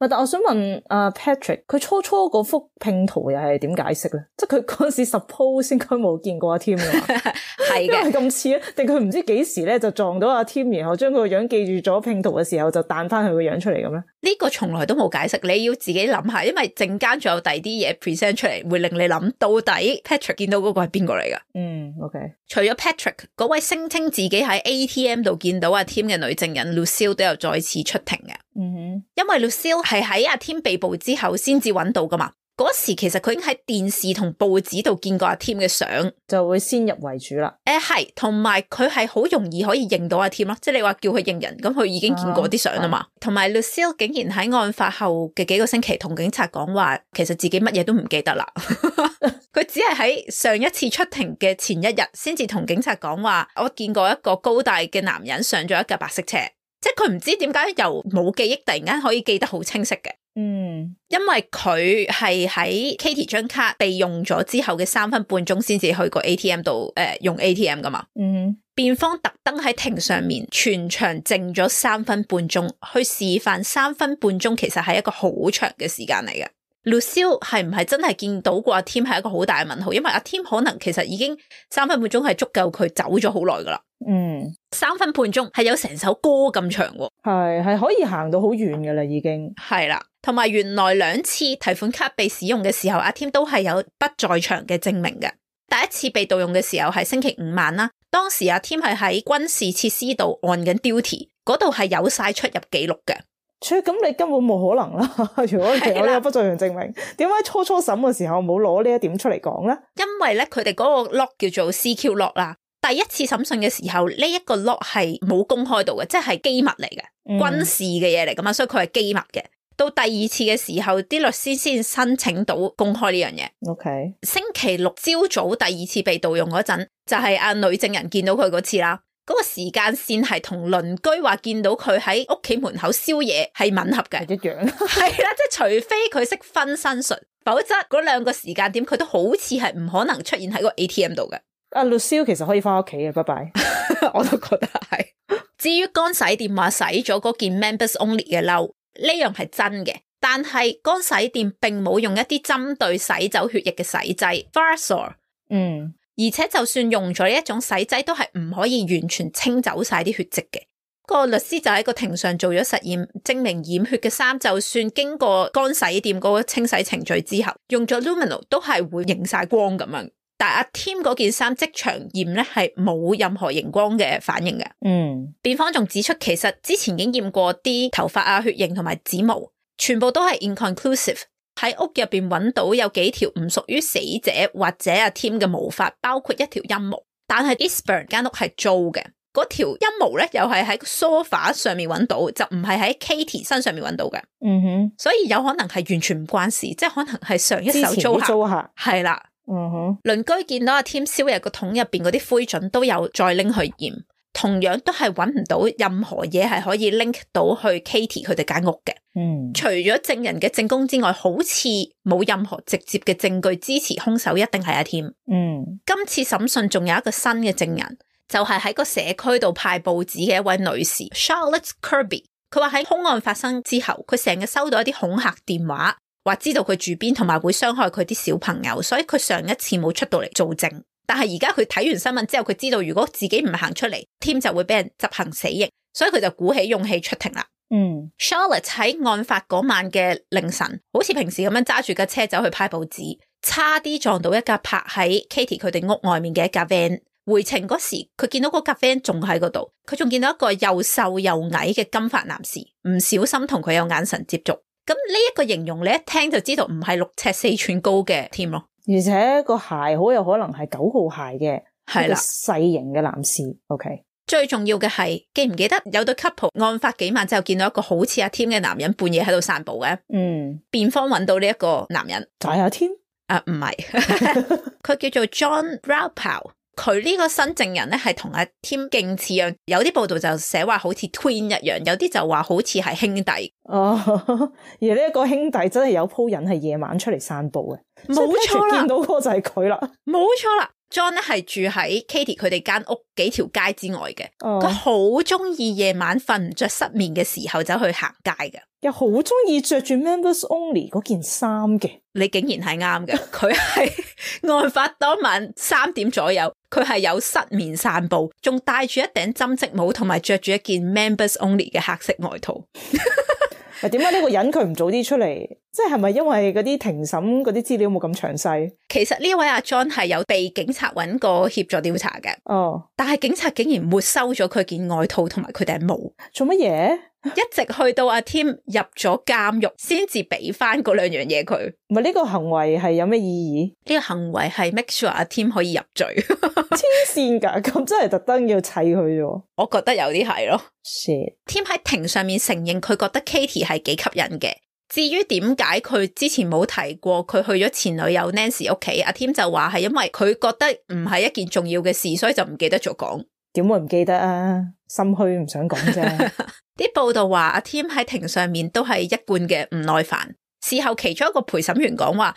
B: 但我想問阿 Patrick， 佢初嗰幅拼圖又係點解釋咧？即係佢嗰陣時 suppose 應該冇見過阿 Tim 㗎嘛？係嘅，咁似啊？定佢唔知幾時咧就撞到阿 Tim， 然後將佢個樣記住咗拼圖嘅時候就彈翻佢個樣出嚟咁咧？
A: 呢個從來都冇解釋，你要自己諗下，因為陣間仲有第二啲嘢 present 出嚟，會令你諗到底 Patrick 見到嗰個係邊個嚟噶
B: ？OK。
A: 除咗 Patrick 嗰位聲稱自己喺 ATM 度見到阿 Tim 嘅女證人 Lucille 都有再次出庭嘅。因為 Lucille 係喺阿 Tim 被捕之後先至揾到噶嘛，嗰時其實佢已經喺電視同報紙度見過阿 Tim 嘅相，
B: 就會先入為主啦。
A: 係，同埋佢係好容易可以認到阿 Tim 咯，即係你話叫佢認人，咁佢已經見過啲相啊嘛。同埋 Lucille 竟然喺案發後嘅幾個星期同警察講話，其實自己乜嘢都唔記得啦。佢只係喺上一次出庭嘅前一日先至同警察講話，我見過一個高大嘅男人上咗一架白色車。即係佢唔知點解由冇記憶突然間可以記得好清晰嘅，因為佢係喺 Katie 張卡被用咗之後嘅3分半鐘先至去個 ATM 度用 ATM 噶嘛，辯方特登喺庭上面全場靜咗3分半鐘去示範3分半鐘其實係一個好長嘅時間嚟嘅。Lucille 係唔係真係見到過阿 Tim 係一個好大嘅問號，因為阿 Tim 可能其實已經3分半鐘係足夠佢走咗好耐噶啦。3分半鐘係有成首歌咁長喎，
B: 係可以行到好遠噶啦已經。
A: 係啦，同埋原來2次提款卡被使用嘅時候，阿 Tim 都係有不在場嘅證明嘅。第一次被盜用嘅時候係星期5晚啦，當時阿 Tim 係喺軍事設施度按緊 duty， 嗰度係有晒出入記錄嘅。
B: 咁你根本冇可能啦！如果其實有不在場證明，點解初審嘅時候冇攞呢一點出嚟講咧？
A: 因為咧佢哋嗰個 lock 叫做 CQ lock 啦。第一次審訊嘅時候，呢一個 lock 係冇公開到嘅，即係機密嚟嘅，軍事嘅嘢嚟噶嘛，所以佢係機密嘅。到第2次嘅時候，啲律師先申請到公開呢樣嘢。
B: OK，
A: 星期6朝早第2次被盜用嗰陣，就係阿女證人見到佢嗰次啦。嗰個時間線係同鄰居話見到佢喺屋企門口燒嘢係吻合嘅，
B: 一樣。
A: 係啦，即係除非佢識分身術，否則嗰2個時間點佢都好似係唔可能出現喺個 ATM 度嘅。
B: 阿 Lucille 其實可以翻屋企嘅，拜拜。
A: 我都覺得係。至於乾洗店話洗咗嗰件 Members Only 嘅褸，呢樣係真嘅，但係乾洗店並冇用一啲針對洗走血液嘅洗劑 Varsor。而且就算用咗呢一種洗劑，都係唔可以完全清走晒啲血跡嘅。個律師就喺個庭上做咗實驗，證明染血嘅衫就算經過乾洗店嗰個清洗程序之後，用咗 luminol 都係會熒晒光咁樣。但阿 Tim 嗰件衫即場驗咧係冇任何熒光嘅反應嘅。辯方仲指出，其實之前已經驗過啲頭髮啊、血型同埋指毛，全部都係 inconclusive。喺屋入邊揾到有幾條唔屬於死者或者阿 Tim 嘅毛髮，包括一條陰毛，但係 Eastburn 間屋係租嘅，嗰條陰毛咧又係喺梳化上面揾到，就唔係喺 Katie 身上面揾到嘅。所以有可能係完全唔關事，即係可能係上一手租客係啦。鄰居見到阿 Tim 燒嘢個桶入邊嗰啲灰燼都有再拎去驗，同樣都係揾唔到任何嘢係可以 link 到去 Katie 佢哋間屋嘅。除咗證人嘅證供之外，好似冇任何直接嘅證據支持兇手一定係阿 Tim。今次審訊仲有一個新嘅證人，就係喺個社區度派報紙嘅一位女士 Charlotte Kirby。佢話喺兇案發生之後，佢成日收到一啲恐嚇電話，話知道佢住邊同埋會傷害佢啲小朋友，所以佢上一次冇出到嚟做證。但係而家佢睇完新聞之後，佢知道如果自己唔行出嚟，Tim 就會俾人執行死刑，所以佢就鼓起勇氣出庭啦。Charlotte 喺案發嗰晚嘅凌晨，好似平時咁樣揸住架車走去派報紙，差啲撞到一架泊喺 Katie 佢哋屋外面嘅一架 van。回程嗰時，佢見到嗰架 van 仲喺嗰度，佢仲見到一個又瘦又矮嘅金髮男士，唔小心同佢有眼神接觸。咁呢一個形容你一聽就知道唔係6尺4寸高嘅 Tim 咯，
B: 而且個鞋好有可能係9號鞋嘅，係啦，細型嘅男士。OK，
A: 最重要嘅係記唔記得有對 couple 案發幾晚之後見到一個好似阿 Tim 嘅男人半夜喺度散步嘅？辯方揾到呢一個男人
B: 就係阿 Tim？
A: 唔係，佢叫做 John Raupow。佢呢個新證人咧係同阿 Tim 勁似樣，有啲報道就寫話好似 twin 一樣，有啲就話好似係兄弟。
B: 而呢一個兄弟真係有鋪癮係夜晚出嚟散步嘅，
A: 冇錯啦，
B: 見到嗰個就係佢啦，
A: 冇錯啦。John 咧係住喺 Katie 佢哋間屋幾條街之外嘅，佢好中意夜晚瞓唔着失眠嘅時候走去行街嘅，
B: 又好中意着住 Members Only 嗰件衫嘅。
A: 你竟然係啱嘅，佢係案發當晚3點左右，佢係有失眠散步，仲戴住一頂針織帽，同埋着住一件 Members Only 嘅黑色外套。
B: 點解呢個人佢唔早啲出嚟？即係咪因為嗰啲庭審嗰啲資料冇咁詳細？
A: 其實呢位阿 John 係有被警察揾過協助調查嘅，但係警察竟然沒收咗佢件外套同埋佢頂帽，做
B: 乜嘢？
A: 一直去到阿 Tim 入咗監獄，先至俾翻嗰2樣嘢佢。
B: 唔係，呢個行為係有咩意義？
A: 呢個行為係 make sure 阿 Tim 可以入罪。
B: 黐線噶，咁真係特登要砌佢啫。
A: 我覺得有啲係咯。
B: Shit.
A: Tim 喺庭上面承認佢覺得 Katie 係幾吸引嘅。至於點解佢之前冇提過佢去咗前女友 Nancy 屋企，阿 Tim 就話係因為佢覺得唔係一件重要嘅事，所以就唔記得咗講。
B: 點會唔記得啊？心虛唔想講啫。
A: 啲報道話阿 Tim 喺庭上面都係一貫嘅唔耐煩。事後其中一個陪審員講話，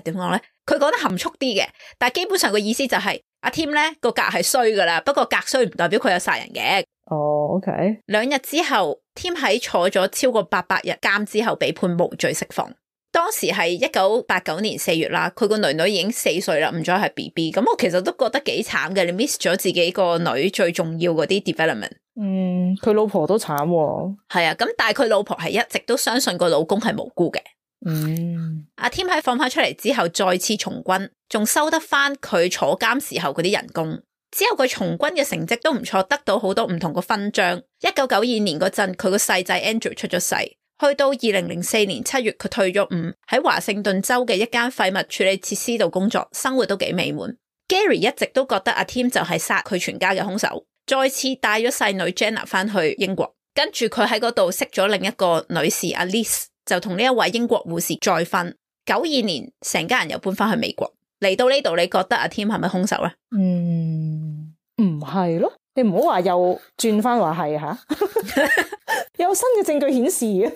A: 點講咧？佢講得含蓄啲嘅，但係基本上個意思就係阿 Tim 咧個格係衰噶啦，不過格衰唔代表佢有殺人嘅。
B: OK。2
A: 日之後 ，Tim 喺坐咗超過800日監之後被判無罪釋放。當時係1989年4月啦，佢個女已經4歲啦，唔再係 BB。咁我其實都覺得幾慘嘅，你 miss 咗自己個女最重要嗰啲 development。
B: 佢老婆都慘喎。
A: 係啊，咁但係佢老婆係一直都相信個老公係無辜嘅。阿 Tim 喺放翻出嚟之後再次從軍，仲收得翻佢坐監時候嗰啲人工。之後佢從軍嘅成績都唔錯，得到好多唔同嘅勳章。1992年嗰陣，佢個細仔 Andrew 出咗世。去到2004年7月，佢退咗伍，喺華盛頓州嘅一間廢物處理設施度工作，生活都幾美滿。Gary 一直都覺得阿 Tim 就係殺佢全家嘅兇手，再次帶咗細女 Jenna 翻去英國，跟住佢喺嗰度識咗另一個女士阿 Liz， 就同呢一位英國護士再婚。92年，成家人又搬翻去美國。嚟到呢度，你覺得阿 Tim 係咪兇手咧？
B: 唔係咯，你唔好話又轉翻話係吓，有新嘅證據顯示嘅。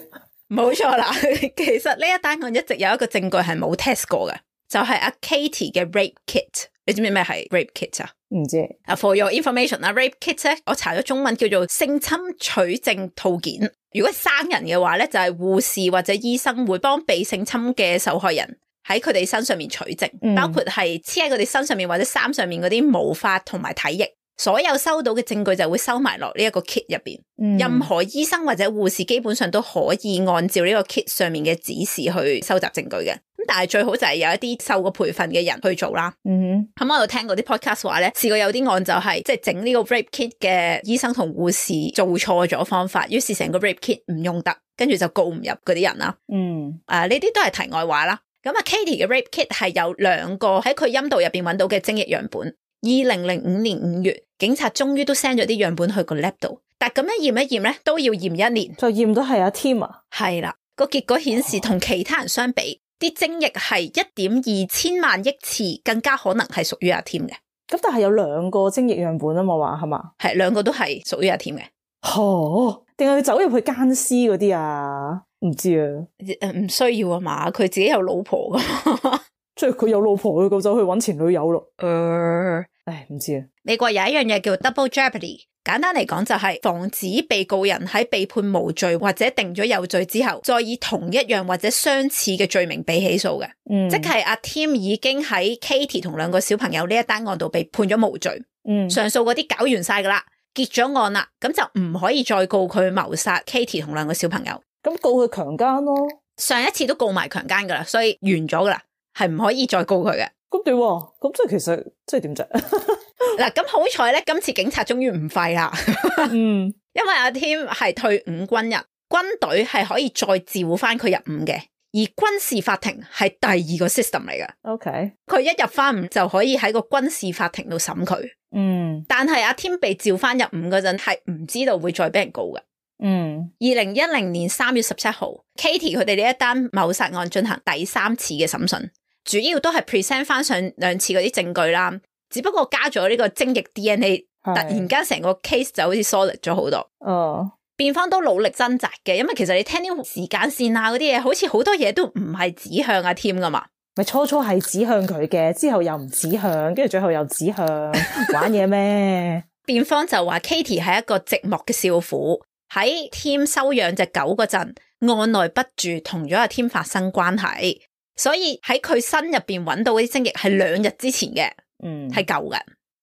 A: 冇錯啦，其實呢一單案一直有一個證據係冇 test 過嘅，就係阿 Katie 嘅 rape kit。你知唔知咩係 rape kit 啊？
B: 唔知。
A: For your information， rape kit 咧，我查咗中文叫做性侵取證套件。如果生人嘅話咧，就係護士或者醫生會幫被性侵嘅受害人喺佢哋身上面取證，包括係黐喺佢哋身上面或者衫上面嗰啲毛髮同埋體液。所有收到嘅證據就會收埋落呢一個 kit 入邊。任何醫生或者護士基本上都可以按照呢個 kit 上面嘅指示去收集證據嘅。咁但係最好就係有一啲受過培訓嘅人去做啦。咁我有聽過啲 podcast 話咧，試過有啲案就係即係整呢個 rape kit 嘅醫生同護士做錯咗方法，於是成個 rape kit 唔用得，跟住就告唔入嗰啲人啦。呢啲都係題外話啦。咁啊 Katie 嘅 rape kit 係有2個喺佢陰道入邊揾到嘅精液樣本。2005年5月，警察終於都 send 咗啲樣本去個 lab 度，但咁樣驗一驗咧，都要驗1年，
B: 就驗到係阿 Tim 啊。
A: 係啦，個結果顯示同其他人相比，啲精液係1.2千萬億次更加可能係屬於阿 Tim 嘅。
B: 咁但係有2個精液樣本啊嘛，話係嘛？
A: 係2個都係屬於阿 Tim 嘅。
B: 定係佢走入去姦屍嗰啲啊？唔知啊。
A: 唔需要啊嘛，佢自己有老婆噶。
B: 即係佢有老婆，佢就走去搵前女友咯。唉，唔知啊。
A: 美國有一樣嘢叫 double jeopardy， 簡單嚟講就係防止被告人喺被判無罪或者定咗有罪之後，再以同一樣或者相似嘅罪名被起訴嘅。即係阿 Tim 已經喺 Katie 同兩個小朋友呢一單案度被判咗無罪。上訴嗰啲搞完晒噶啦，結咗案啦，咁就唔可以再告佢謀殺 Katie 同兩個小朋友。
B: 咁告佢強姦咯。
A: 上一次都告埋強姦噶啦，所以完咗噶啦，係唔可以再告佢嘅。
B: 咁點？咁即係其實即係點啫？
A: 嗱，咁好彩咧，今次警察終於唔廢啦。因為阿 Tim 係退伍軍人，軍隊係可以再召翻佢入伍嘅，而軍事法庭係第二個 system 嚟嘅。
B: OK，
A: 佢一入翻伍就可以喺個軍事法庭度審佢。但係阿 Tim 被召翻入伍嗰陣係唔知道會再俾人告嘅。2010年3月17號 Katie 佢哋呢一單謀殺案進行第3次嘅審訊，主要都係 present 翻上2次嗰啲證據啦，只不過加咗呢個精液 DNA， 突然間成個 case 就好似 solid 咗好多。辯方都努力掙扎嘅，因為其實你聽啲時間線啊嗰啲嘢，好似好多嘢都唔係指向阿 Tim 噶嘛。
B: 咪初係指向佢嘅，之後又唔指向，跟住最後又指向，玩嘢咩？
A: 辯方就話 Katie 係一個寂寞嘅少婦，喺 Tim 收養隻狗嗰陣，按捺不住同咗阿 Tim 發生關係，所以喺佢身入邊揾到嗰啲精液係2日之前嘅，係舊嘅。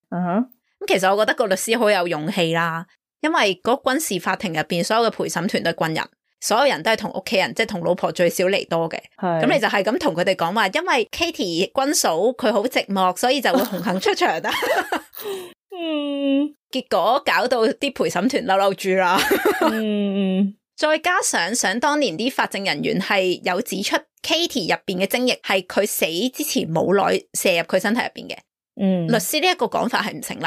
A: 咁其實我覺得個律師好有勇氣啦，因為嗰軍事法庭入邊所有嘅陪審團都係軍人。所有人都係同屋企人，即係同老婆最少離多嘅。咁你就係咁同佢哋講話，因為 Katie 軍嫂佢好寂寞，所以就會紅杏出牆啦。結果搞到啲陪審團嬲嬲住啦。再加上想當年啲法證人員係有指出 Katie 入邊嘅精液係佢死之前冇耐射入佢身體入邊嘅。律師呢一個講法係唔成立。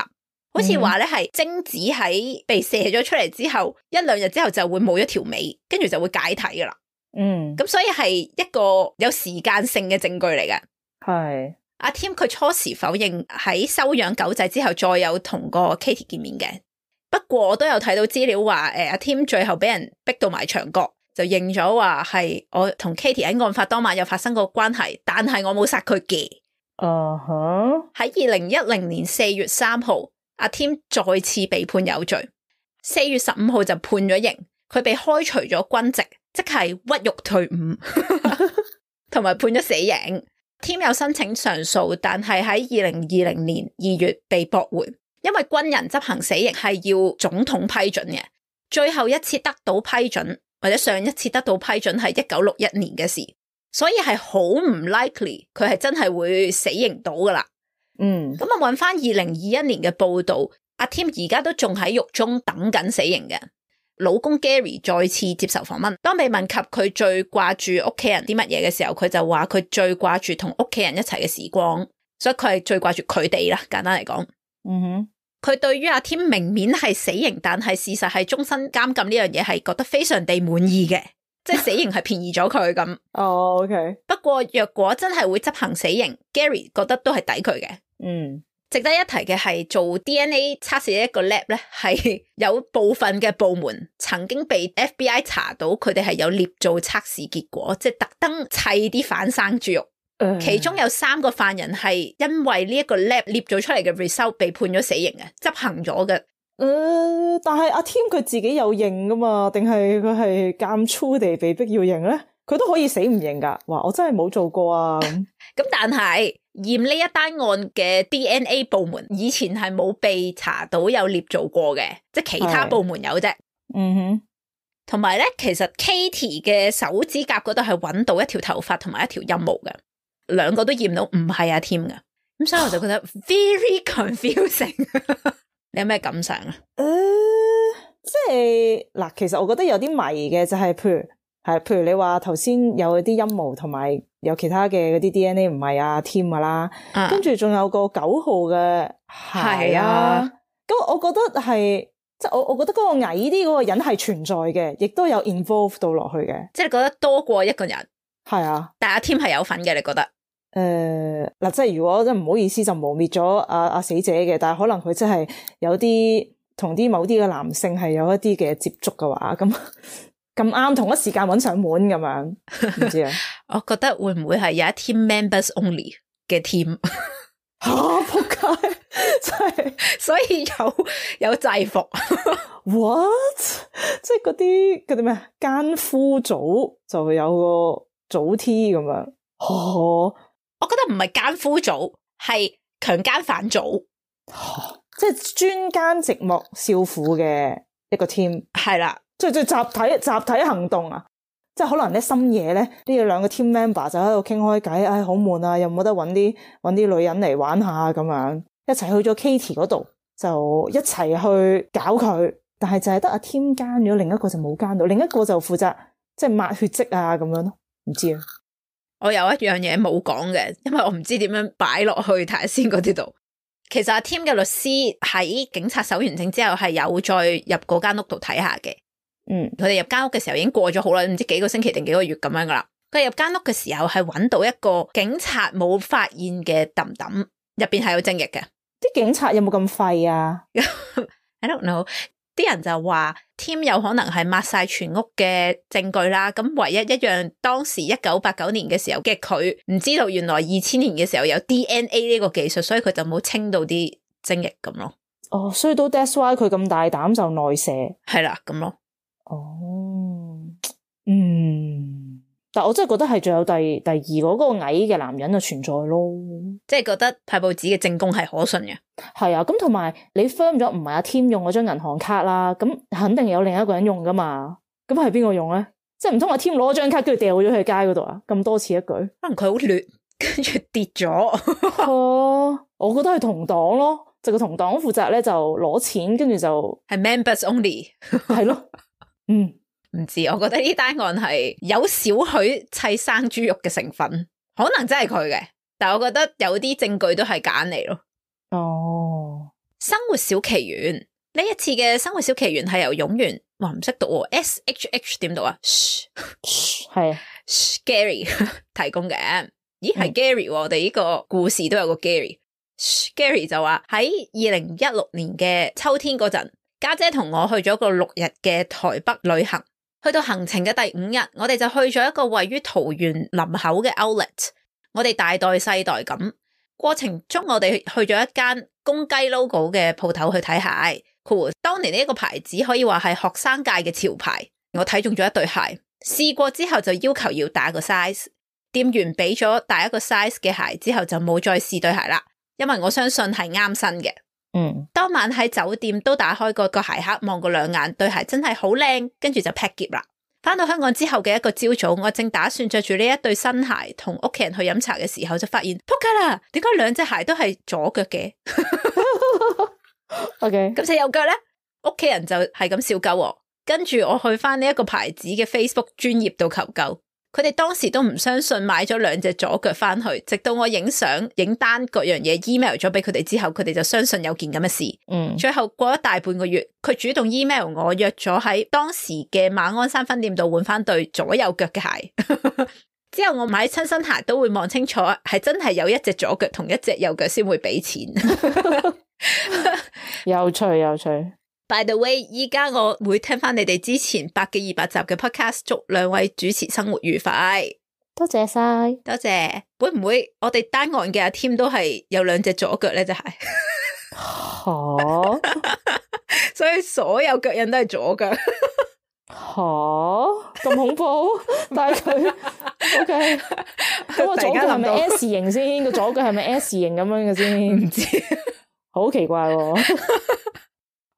A: 好似話咧係精子喺被射咗出嚟之後1-2日之後就會冇咗條尾，跟住就會解體噶啦。咁所以係一個有時間性嘅證據嚟嘅。係阿 Tim 佢初時否認喺收養狗仔之後再有同個 Katie 見面嘅，不過我都有睇到資料話阿 Tim 最後俾人逼到埋牆角，就認咗話係我同 Katie 喺案發當晚有發生過關係，但係我冇殺佢嘅。喺2010年4月3號阿 Tim 再次被判有罪，4月15號就判咗刑，佢被開除咗軍籍，即係屈辱退伍，同埋判咗死刑。Tim 有申請上訴，但係喺2020年2月被駁回，因為軍人執行死刑係要總統批准嘅，最後一次得到批准或者上一次得到批准係1961年嘅事，所以係好唔 likely 佢係真係會死刑到噶啦。咁我揾翻2021年嘅報道，阿 Tim 而家都仲喺獄中等緊死刑嘅。老公 Gary 再次接受訪問，當被問及佢最掛住屋企人啲乜嘢嘅時候，佢就話佢最掛住同屋企人一齊嘅時光，所以佢係最掛住佢哋啦。簡單嚟講，佢對於阿 Tim 明面係死刑，但係事實係終身監禁呢樣嘢係覺得非常地滿意嘅。即係死刑係便宜咗佢咁。
B: OK。
A: 不過若果真係會執行死刑 ，Gary 覺得都係抵佢嘅。值得一提嘅係做 DNA 測試嘅一個 lab 咧，係有部分嘅部門曾經被 FBI 查到佢哋係有捏造測試結果，即係特登砌啲反生豬肉。其中有3個犯人係因為呢一個 lab 捏造出嚟嘅 result 被判咗死刑嘅，執行咗嘅。
B: 但係阿 Tim 佢自己有認噶嘛？定係佢係監粗地被逼要認咧？佢都可以死唔認噶。話我真係冇做過啊。
A: 咁但係驗呢一單案嘅 DNA 部門以前係冇被查到有捏造過嘅，即係其他部門有啫。同埋咧，其實 Katie 嘅手指甲嗰度係揾到一條頭髮同埋一條陰毛嘅，2個都驗到唔係阿 Tim 嘅。咁所以我就覺得 very confusing。你有咩感想啊？
B: 即係嗱，其實我覺得有啲迷嘅，就係譬如你話頭先有啲陰毛同埋有其他嘅嗰啲 DNA 唔係阿 Tim 噶啦，跟住仲有個9號嘅係啊。咁我覺得係，即係我覺得嗰個矮啲嗰個人係存在嘅，亦都有 involve 到落去嘅。即係你覺得多過一個人？係啊，但係阿 Tim 係有份嘅，你覺得？嗱，即係如果真唔好意思就污衊咗阿死者嘅，但係可能佢真係有啲同啲某啲嘅男性係有一啲嘅接觸嘅話，咁啱同一時間揾上門咁樣，唔知啊。我覺得會唔會係有一 team members only 嘅 team？仆街！
A: 所以有制服。
B: What？ 即係嗰啲咩奸夫組就會有個組 T 咁樣。
A: 我覺得唔係奸夫組，係強姦犯組。
B: 即係專奸寂寞少婦嘅一個 team。
A: 係啦，
B: 即係集體行動啊！即係可能咧深夜咧，呢兩個 team member 就喺度傾開偈，唉，好悶啊，有冇得搵啲女人嚟玩下咁樣，一齊去咗 Katie 嗰度，就一齊去搞佢。但係就係得阿 Tim 奸咗，另一個就冇奸到，另一個就負責即係抹血跡啊咁樣咯。唔知啊，
A: 我有一樣嘢冇講嘅，因為我唔知點樣擺落去睇下先嗰啲度。其實阿 Tim 嘅律師喺警察搜完證之後係有再入嗰間屋度睇下嘅。佢哋入間屋嘅時候已經過咗好耐，唔知幾個星期定幾個月咁樣噶啦。佢入間屋嘅時候係揾到一個警察冇發現嘅揼揼，入邊係有精液嘅。
B: 啲警察有冇咁廢啊
A: ？I don't know。啲人就話 Tim 有可能係抹晒全屋嘅證據啦。咁唯一一樣，當時1989年嘅時候嘅佢唔知道，原來2000年嘅時候有 DNA 呢個技術，所以佢就冇清到啲精液咁咯。
B: 所以都 that's why 佢咁大膽就內射。係
A: 啦，咁咯。
B: 但我真係覺得係仲有第二嗰個矮嘅男人就存在咯，
A: 即係覺得派報紙嘅證供係可信嘅。
B: 係啊，咁同埋你 firm 咗唔係阿 Tim 用嗰張銀行卡啦，咁肯定有另一個人用噶嘛，咁係邊個用咧？即係唔通阿 Tim 攞咗張卡跟住掉咗去街嗰度啊？咁多此一舉，可
A: 能佢好劣，跟住跌咗。
B: 我覺得係同黨咯，就個同黨負責咧就攞錢，跟住就
A: 係 members only。
B: 係咯，
A: 唔知，我覺得呢單案係有少許砌生豬肉嘅成分，可能真係佢嘅，但係我覺得有啲證據都係揀嚟咯。生活小奇緣呢一次嘅生活小奇緣係由勇元，哇唔識讀 SHH 點讀啊？
B: 係啊
A: Gary 提供嘅。咦係 Gary，我哋呢個故事都有個 Gary。Gary 就話喺2016年嘅秋天嗰陣，家姐同我去咗個6日嘅台北旅行。去到行程嘅第5日，我哋就去咗一個位於桃園林口嘅 outlet， 我哋大袋細袋咁。過程中我哋去咗一間公雞 logo 嘅鋪頭去睇鞋。當年呢一個牌子可以話係學生界嘅潮牌，我睇中咗一對鞋，試過之後就要求要打個 size， 店員俾咗大一個 size 嘅鞋之後就冇再試對鞋啦，因為我相信係啱身嘅。當晚喺酒店都打開個鞋盒望過2眼，對鞋真係好靚，跟住就 pack 篋啦。翻到香港之後嘅一個朝早，我正打算着住呢一對新鞋同屋企人去飲茶嘅時候，就發現仆街啦，點解2隻鞋都係左腳嘅
B: ？OK，
A: 咁隻右腳咧，屋企人就係咁笑鳩我，跟住我去翻呢一個牌子嘅 Facebook 專頁度求救。佢哋當時都唔相信，買咗2隻左腳翻去，直到我影相影單各樣嘢 email 咗俾佢哋之後，佢哋就相信有件咁嘅事。最後過咗大半個月，佢主動 email 我約咗喺當時嘅馬鞍山分店度換翻對左右腳嘅鞋。之後我買親新鞋都會望清楚，係真係有一隻左腳同一隻右腳先會俾錢。
B: 有趣。
A: By the way， 依家我會聽翻你哋之前100幾200集嘅 podcast， 祝2位主持生活愉快。
B: 多謝晒，
A: 多謝。會唔會我哋單案嘅阿 Tim 都係有2隻左腳咧？就係，所以所有腳印都係左腳。
B: 咁恐怖！但係佢 OK， 咁我左腳係咪 S 型先？個左腳係咪 S 型咁樣嘅先？
A: 唔知，
B: 好奇怪喎。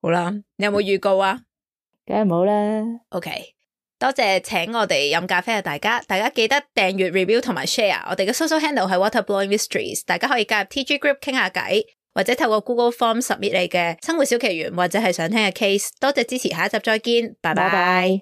A: 好啦，你有冇預告啊？
B: 梗係冇啦。
A: OK， 多謝請我哋飲咖啡啊！大家記得訂閱、review 同埋 share。我哋嘅 social handle 係 Waterblowing Mysteries， 大家可以加入 TG Group 傾下偈，或者透過 Google Form submit 你嘅生活小奇緣，或者係想聽嘅 case。多謝支持，下一集再見，拜拜。